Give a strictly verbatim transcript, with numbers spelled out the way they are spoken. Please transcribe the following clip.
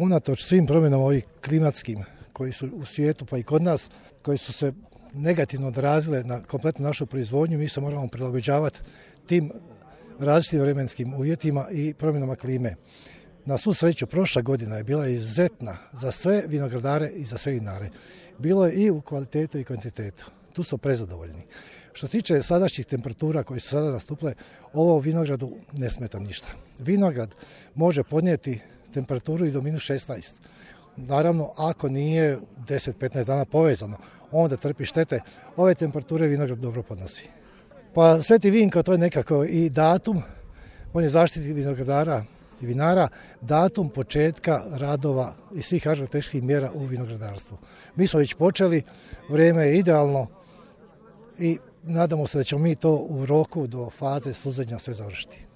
Unatoč svim promjenama ovih klimatskim koji su u svijetu pa i kod nas, koji su se negativno odrazile na kompletnu našu proizvodnju, mi se moramo prilagođavati tim različitim vremenskim uvjetima i promjenama klime. Na svu sreću, prošla godina je bila izuzetna za sve vinogradare i za sve vinare. Bilo je i u kvalitetu i kvantitetu. Tu su prezadovoljni. Što se tiče sadašnjih temperatura koje su sada nastupile, ovo vinogradu ne smeta ništa. Vinograd može podnijeti temperaturu i do minus šesnaest. Naravno, ako nije deset do petnaest dana povezano, onda trpi štete. Ove temperature vinograd dobro podnosi. Pa Sveti Vinko, to je nekako i datum, on je zaštitnik vinogradara i vinara, datum početka radova i svih agrotehničkih mjera u vinogradarstvu. Mi smo već počeli, vrijeme je idealno i nadamo se da ćemo mi to u roku do faze suzenja sve završiti.